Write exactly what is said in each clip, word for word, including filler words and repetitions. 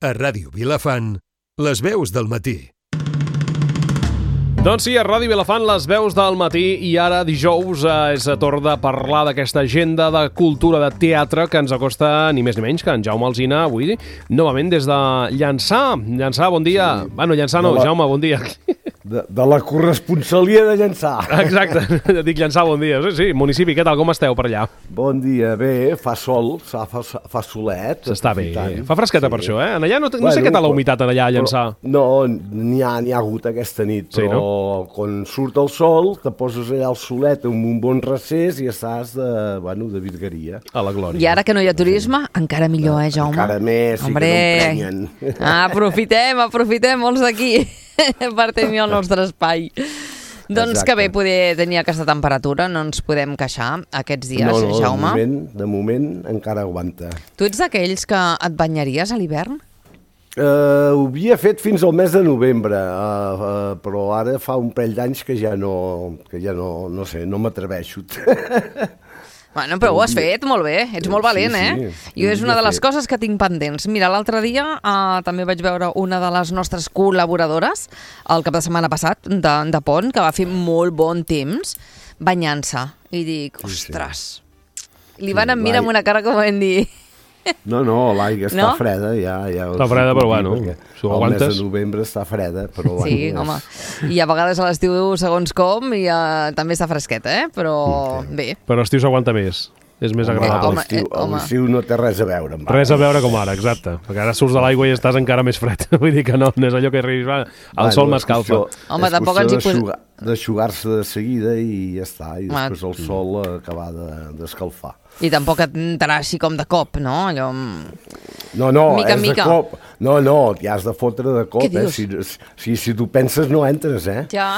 A Ràdio Vilafant, les veus del matí. Doncs sí, a Ràdio Vilafant, les veus del matí, i ara dijous eh, és a torn de parlar d'aquesta agenda de cultura de teatre que ens acosta ni més ni menys que en Jaume Alsina avui, novament des de Llançà. Llançà, bon dia. Sí. Bueno, Llançà no, la... Jaume, bon dia. De, de la corresponsalia de Llançà. Exacte, dic Llançà, bon dia. Sí, sí, municipi, què tal, com esteu per allà? Bon dia, bé, fa sol, fa, fa, fa solet. S'està bé, fa fresqueta sí. Per això, eh? En allà no, no bueno, sé què tal la humitat en allà a Llançà. Però, no, n'hi ha, n'hi ha hagut aquesta nit, però sí, no? Quan surt el sol, te poses allà al solet amb un bon recés i estàs de, bueno, de virgueria. A la glòria. I ara que no hi ha turisme, encara millor, eh, Jaume? Encara més, sí. Hombre. Que no emprenyen. Ah, aprofitem, aprofitem molts d'aquí per tenir el nostre espai. Doncs exacte. Que bé poder tenir aquesta temperatura, no ens podem queixar aquests dies, no, no, Jaume. De moment, de moment encara aguanta. Tu ets d'aquells que et banyaries a l'hivern? Uh, ho havia fet fins al mes de novembre, uh, uh, però ara fa un parell d'anys que ja no, que ja no, no sé, no m'atreveixo. Bueno, però ho has fet molt bé, ets molt valent, sí, eh? Sí, jo és una de les coses que tinc pendents. Mira, l'altre dia uh, també vaig veure una de les nostres col·laboradores, el cap de setmana passat, de, de Pont, que va fer molt bon temps, banyant-se. I dic, ostres, sí, sí. Li van sí, mirar amb una cara com vam dir... No, no, l'aigua està no? freda, ja... ja està freda, però bueno, si ho aguantes... El mes de novembre està freda, però... Sí, bueno, home, i a vegades a l'estiu segons com, i uh, també està fresqueta, eh? Però sí. Bé. Però l'estiu s'aguanta més, és més agradable. Home, l'estiu, eh, l'estiu no té res a veure. Amb res a veure com ara, exacte, perquè ara surts de l'aigua i estàs encara més fred, vull dir que no, no és allò que arribis, el bueno, sol m'escalfa. Home, tampoc ens hi posem... D'aixugar-se de seguida i ja està, i després el sol acabar d'escalfar. I tampoc et entrarà així com de cop, no? Allò... No, no, mica, és mica. de cop. No, no, t'hi has de fotre de cop, eh? Si, si, si tu penses no entres, eh? Ja.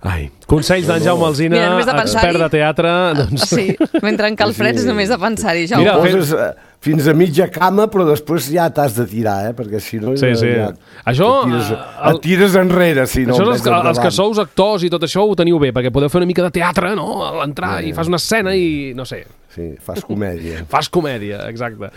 Ai, consells d'en Jaume Alsina, Mira, expert de teatre. Doncs... Sí, mentre en cal freds sí. Només de pensar-hi, Jaume. Mira, poses fins a mitja cama, però després ja t'has de tirar, eh? Perquè si no... Sí, sí. Ja, això... Et tires, el... et tires enrere, si no... Això és els, els que sous actors i tot això ho teniu bé, perquè podeu fer una mica de teatre, no? A l'entrar sí. I fas una escena i... no sé... Sí, fas comèdia. Fas comèdia, exacte.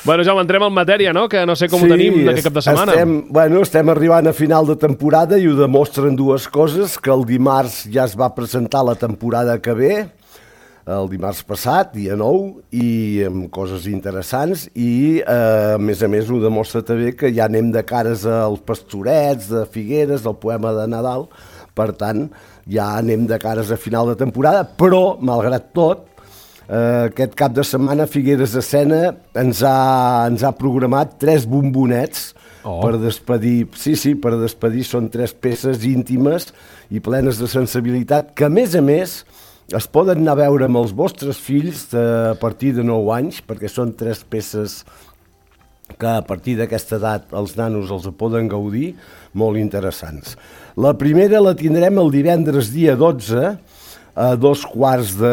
Bueno, Jaume, entrem en matèria, no? Que no sé com sí, ho tenim d'aquest cap de setmana. Estem, bueno, estem arribant a final de temporada i ho demostren dues coses, que el dimarts ja es va presentar la temporada que ve, el dimarts passat, dia nou, i amb coses interessants, i eh, a més a més ho demostra també que ja anem de cares als Pastorets, de Figueres, del poema de Nadal, per tant, ja anem de cares a final de temporada, però, malgrat tot, Uh, aquest cap de setmana Figueres Escena ens ha, ens ha programat tres bombonets oh. per despedir, sí, sí, per despedir, són tres peces íntimes i plenes de sensibilitat que a més a més es poden anar a veure amb els vostres fills de, a partir de nou anys, perquè són tres peces que a partir d'aquesta edat els nanos els poden gaudir, molt interessants. La primera la tindrem el divendres dia dotze, a dos quarts de...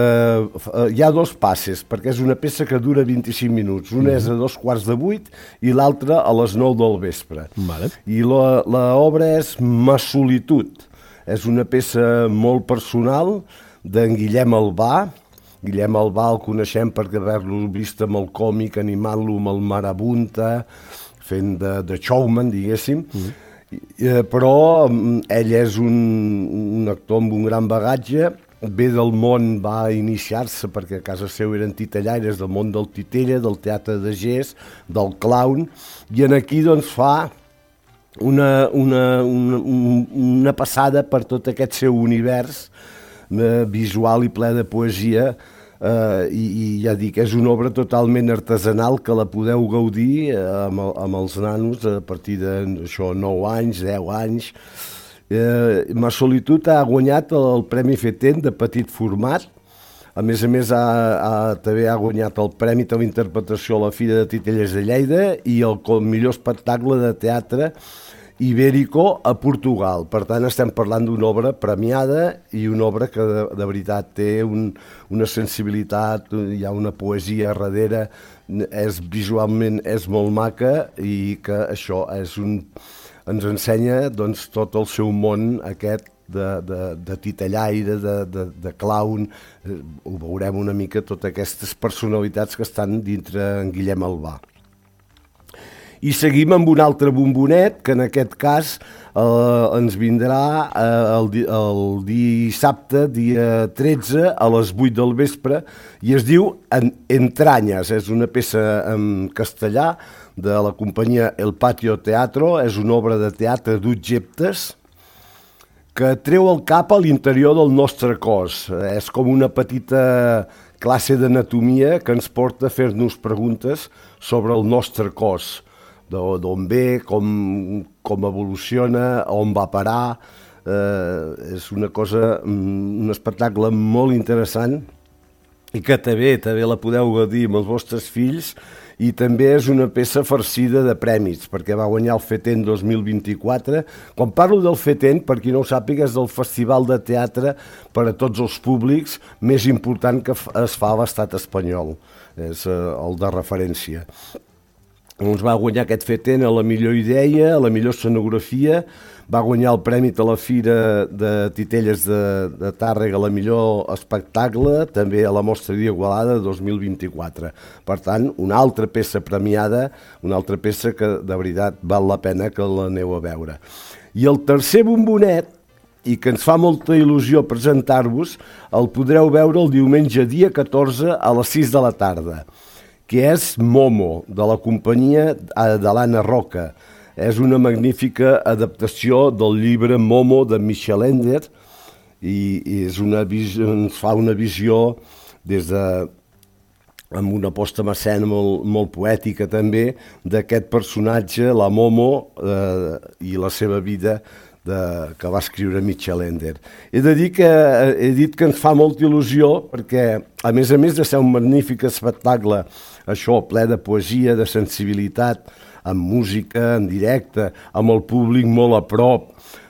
Hi ha dos passes, perquè és una peça que dura vint-i-cinc minuts. Una és a dos quarts de vuit i l'altra a les nou del vespre. Vale. I l'obra és Ma solitud. És una peça molt personal d'en Guillem Albà. Guillem Albà el coneixem perquè haver-lo vist amb el còmic, animant-lo amb el Marabunta, fent de, de showman, diguéssim. Mm. Però ell és un, un actor amb un gran bagatge. Ve del món, va iniciar-se perquè a casa seu eren titellaires, del món del titella, del teatre de gest, del clown, i en aquí doncs fa una, una, una, una passada per tot aquest seu univers eh, visual i ple de poesia, eh, i, i ja dic, és una obra totalment artesanal que la podeu gaudir eh, amb, amb els nanos a partir de això, nou anys, deu anys. Eh, Ma solitud ha guanyat el Premi Feten de petit format. A més a més, ha, ha, també ha guanyat el Premi de la Interpretació a la Fira de Titelles de Lleida i el, el millor espectacle de teatre ibèrico a Portugal. Per tant, estem parlant d'una obra premiada i una obra que de, de veritat té un, una sensibilitat, hi ha una poesia darrere, és, visualment és molt maca i que això és un... ens ensenya doncs, tot el seu món aquest de, de, de titellaire, de, de, de clown. Ho veurem una mica, totes aquestes personalitats que estan dintre en Guillem Albà. I seguim amb un altre bombonet, que en aquest cas eh, ens vindrà eh, el, di el dissabte, dia tretze, a les vuit del vespre, i es diu en Entranyes. És una peça en castellà de la companyia El Patio Teatro, és una obra de teatre d'objectes que treu el cap a l'interior del nostre cos. És com una petita classe d'anatomia que ens porta a fer-nos preguntes sobre el nostre cos, d'on ve, com, com evoluciona, on va parar. Eh, és una cosa, un espectacle molt interessant i que també, també la podeu gaudir amb els vostres fills, i també és una peça farcida de prèmits, perquè va guanyar el FETEN dos mil vint-i-quatre. Quan parlo del FETEN, per qui no ho sàpiga, és el festival de teatre per a tots els públics més important que es fa a l'estat espanyol. És eh, el de referència. Ens va guanyar aquest FETEN a la millor idea, a la millor escenografia, va guanyar el premi a la Fira de Titelles de, de Tàrrega, la millor espectacle, també a la Mostra d'Igualada dos mil vint-i-quatre. Per tant, una altra peça premiada, una altra peça que de veritat val la pena que l'aneu a veure. I el tercer bombonet, i que ens fa molta il·lusió presentar-vos, el podreu veure el diumenge dia catorze a les sis de la tarda, que és Momo, de la companyia de l'Anna Roca. És una magnífica adaptació del llibre Momo de Michel Ender i, i és una visió, ens fa una visió des de, amb una posta en escena molt, molt poètica també, d'aquest personatge, la Momo, eh, i la seva vida de, que va escriure Michel Ender. He de dir que, he dit que ens fa molta il·lusió perquè, a més a més de ser un magnífic espectacle, això, ple de poesia, de sensibilitat, amb música, en directe, amb el públic molt a prop.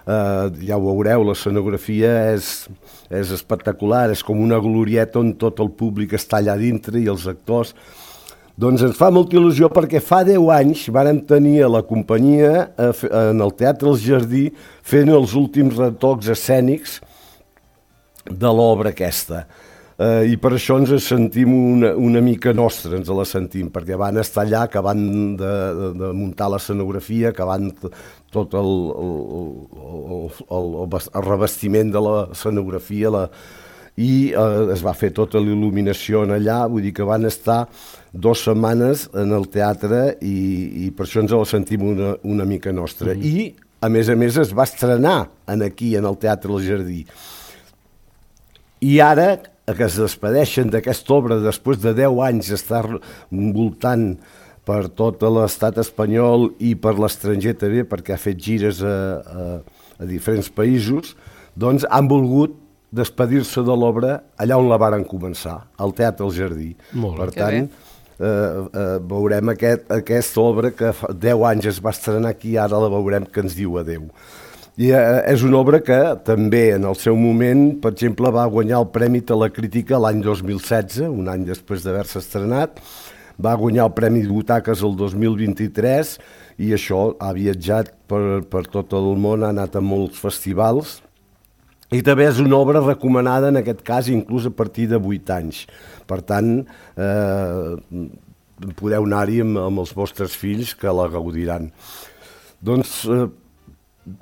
Eh, ja ho veureu, l'escenografia és, és espectacular, és com una glorieta on tot el públic està allà dintre i els actors. Doncs ens fa molta il·lusió perquè fa deu anys vàrem tenir a la companyia eh, en el Teatre El Jardí fent els últims retocs escènics de l'obra aquesta. Uh, i per això ens sentim una, una mica nostra, ens la sentim, perquè van estar allà, que van de, de, de muntar l'escenografia, que van tot el, el, el, el, el revestiment de l'escenografia, la, i uh, es va fer tota l'il·luminació en allà, vull dir que van estar dues setmanes en el teatre i, i per això ens la sentim una, una mica nostra. Mm-hmm. I, a més a més, es va estrenar en aquí, en el Teatre El Jardí. I ara, que es despedeixen d'aquesta obra després de deu anys d'estar voltant per tot l'estat espanyol i per l'estranger també, perquè ha fet gires a, a, a diferents països, doncs han volgut despedir-se de l'obra allà on la varen començar, al Teatre El Jardí. Molt per tant, eh, eh, veurem aquest, aquesta obra que fa deu anys es va estrenar aquí, ara la veurem que ens diu adeu. I eh, és una obra que també en el seu moment, per exemple, va guanyar el Premi de la Crítica l'any dos mil setze, un any després d'haver-se estrenat, va guanyar el Premi de Butaques el dos mil vint-i-tres i això ha viatjat per, per tot el món, ha anat a molts festivals i també és una obra recomanada en aquest cas inclús a partir de vuit anys. Per tant, eh, podeu anar-hi amb, amb els vostres fills que la gaudiran. Doncs eh,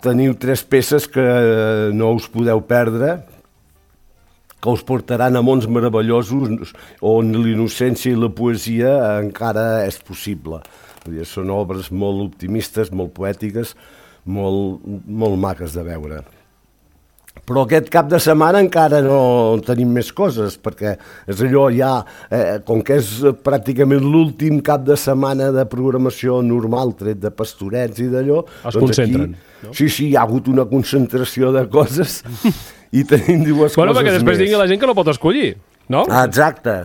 teniu tres peces que no us podeu perdre, que us portaran a mons meravellosos on l'innocència i la poesia encara és possible. Vull dir, són obres molt optimistes, molt poètiques, molt, molt maques de veure. Però aquest cap de setmana encara no tenim més coses, perquè és allò ja, eh, com que és pràcticament l'últim cap de setmana de programació normal, tret de pastorets i d'allò... Es doncs concentren, aquí, no? Sí, sí, hi ha hagut una concentració de coses i tenim dues bueno, coses perquè després més. digui la gent que no pot escollir, no? Exacte.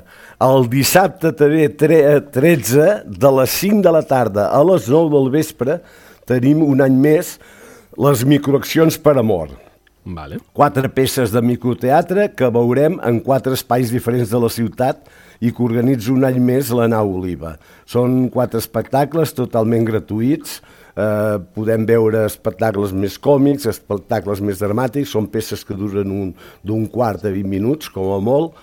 El dissabte també, tretze, de les cinc de la tarda a les nou del vespre, tenim un any més les microaccions per amor. Vale. Quatre peces de microteatre que veurem en quatre espais diferents de la ciutat i que organitza un any més la Nau Oliva. Són quatre espectacles totalment gratuïts, eh, podem veure espectacles més còmics, espectacles més dramàtics, són peces que duren un, d'un quart a vint minuts, com a molt,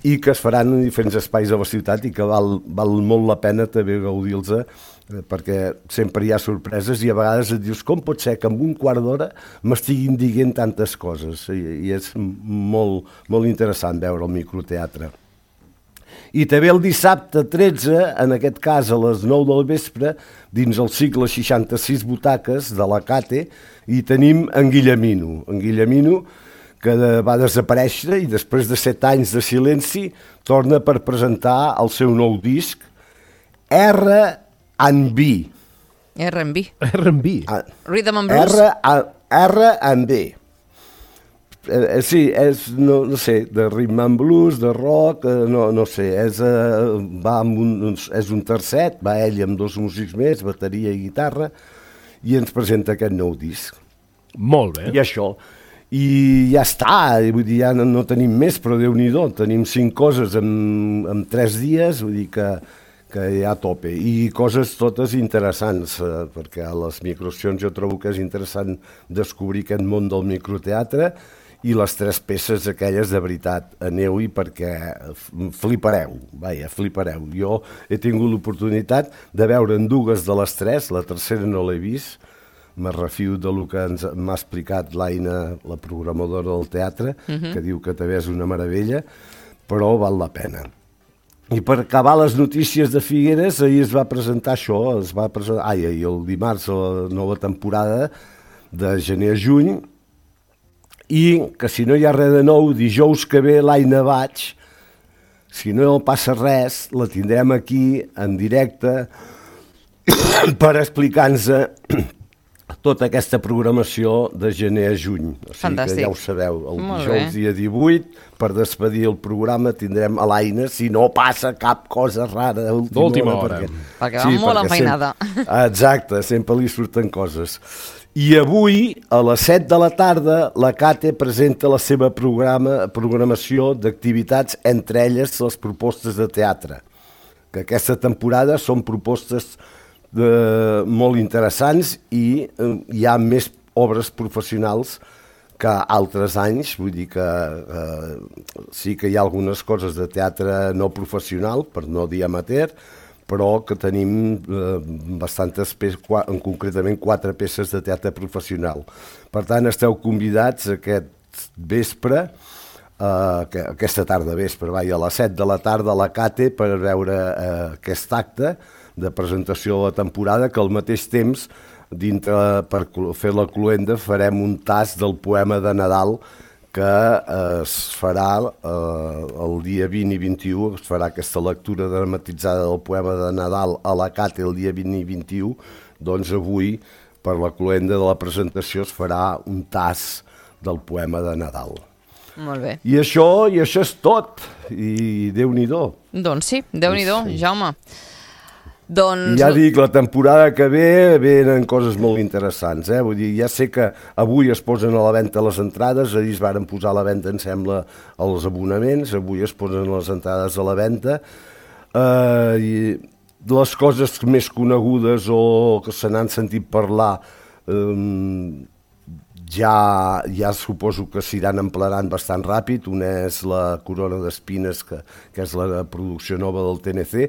i que es faran en diferents espais de la ciutat i que val, val molt la pena també gaudir-los perquè sempre hi ha sorpreses i a vegades et dius com pot ser que en un quart d'hora m'estiguin dient tantes coses, i, i és molt, molt interessant veure el microteatre. I també el dissabte tretze, en aquest cas a les nou del vespre, dins el cicle seixanta-sis butaques de la Cate, hi tenim en Guillemino, en Guillemino que va desaparèixer i després de set anys de silenci torna per presentar el seu nou disc R and B. R and B. R and B. Rhythm and Blues. R and B. Eh, sí, és, no, no sé, de rhythm and blues, de rock, eh, no, no sé, és, eh, va amb un, és un tercet, va ell amb dos músics més, bateria i guitarra, i ens presenta aquest nou disc. Molt bé. I això. I ja està, vull dir, ja no, no tenim més, però Déu-n'hi-do, tenim cinc coses en, en tres dies, vull dir que que hi ha a tope, i coses totes interessants, eh, perquè a les microaccions jo trobo que és interessant descobrir aquest món del microteatre, i les tres peces aquelles de veritat, aneu-hi perquè flipareu, vaja, flipareu. Jo he tingut l'oportunitat de veure en dues de les tres, la tercera no l'he vist, me refio del que ens m'ha explicat l'Aina, la programadora del teatre, uh-huh. que diu que també és una meravella, però val la pena. I per acabar les notícies de Figueres, ahir es va presentar això, es va presentar, ai, ahir el dimarts, la nova temporada de gener a juny, i que si no hi ha res de nou, dijous que ve l'Aina Baig, si no passa res, la tindrem aquí en directe per explicar-nos tota aquesta programació de gener a juny. O sigui Fantàstic. Que ja ho sabeu, el Molt dijous bé. dia divuit, per despedir el programa tindrem a l'Aina, si no passa cap cosa rara d'última hora. Perquè, Perquè va molt enfeinada. Sempre, exacte, sempre li surten coses. I avui, a les set de la tarda, la Cate presenta la seva programa, programació d'activitats, entre elles les propostes de teatre, que aquesta temporada són propostes de, molt interessants, i eh, hi ha més obres professionals que altres anys, vull dir que eh, sí que hi ha algunes coses de teatre no professional, per no dir amateur, però que tenim eh, bastantes peces, en concretament quatre peces de teatre professional. Per tant, esteu convidats aquest vespre, eh, que, aquesta tarda vespre, vai, a les set de la tarda a la Cate, per veure eh, aquest acte de presentació de la temporada, que al mateix temps, dintre, per fer la cloenda, farem un tast del poema de Nadal que eh, es farà eh, el dia vint i vint-i-u, es farà aquesta lectura dramatitzada del poema de Nadal a la Cate el dia vint i vint-i-u, doncs avui, per la cloenda de la presentació, es farà un tast del poema de Nadal. Molt bé. I això, i això és tot, i Déu-n'hi-do. Doncs sí, Déu-n'hi-do, Sí. Jaume. Doncs... Ja dic, la temporada que ve venen coses molt interessants, eh? Vull dir, ja sé que avui es posen a la venda les entrades, ahir es varen posar a la venda, em sembla, els abonaments, avui es posen les entrades a la venda, eh, i les coses més conegudes o que se n'han sentit parlar, eh, ja, ja suposo que s'iran emplenant bastant ràpid. Una és la Corona d'Espines, que, que és la producció nova del T N C,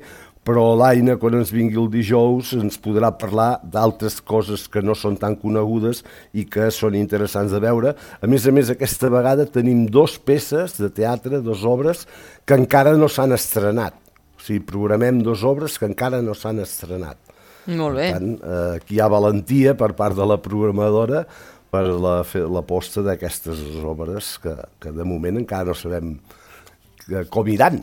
però l'Aina, quan ens vingui el dijous, ens podrà parlar d'altres coses que no són tan conegudes i que són interessants de veure. A més a més, aquesta vegada tenim dos peces de teatre, dos obres, que encara no s'han estrenat. O sigui, programem dos obres que encara no s'han estrenat. Molt bé. Per tant, eh, aquí hi ha valentia per part de la programadora per la, fer l'aposta d'aquestes obres que, que de moment encara no sabem com iran.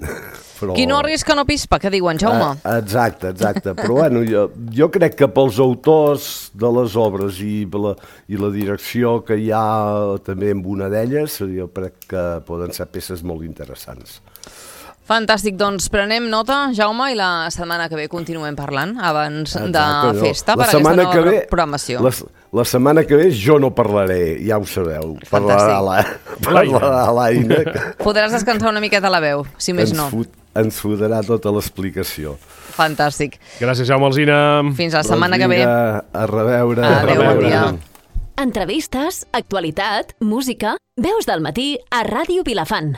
Però... Qui no arrisca no pispa, que diuen, Jaume? Ah, exacte, exacte. Però bueno, jo, jo crec que pels autors de les obres i la, i la direcció que hi ha també amb una d'elles, jo crec que poden ser peces molt interessants. Fantàstic, doncs prenem nota, Jaume, i la setmana que ve continuem parlant abans Exacte, de no. festa La per aquesta setmana nova que ve, programació. La, la setmana que ve jo no parlaré, ja ho sabeu. Parlarà la, parlarà l'Aina. Podràs descansar una miqueta la veu, si més ens no. Fot, ens fotrà tota l'explicació. Fantàstic. Gràcies, Jaume Alsina. Fins la setmana doncs que ve. Vinga, a reveure. Adéu, a bon dia. Entrevistes, actualitat, música, veus del matí a Ràdio Vilafant.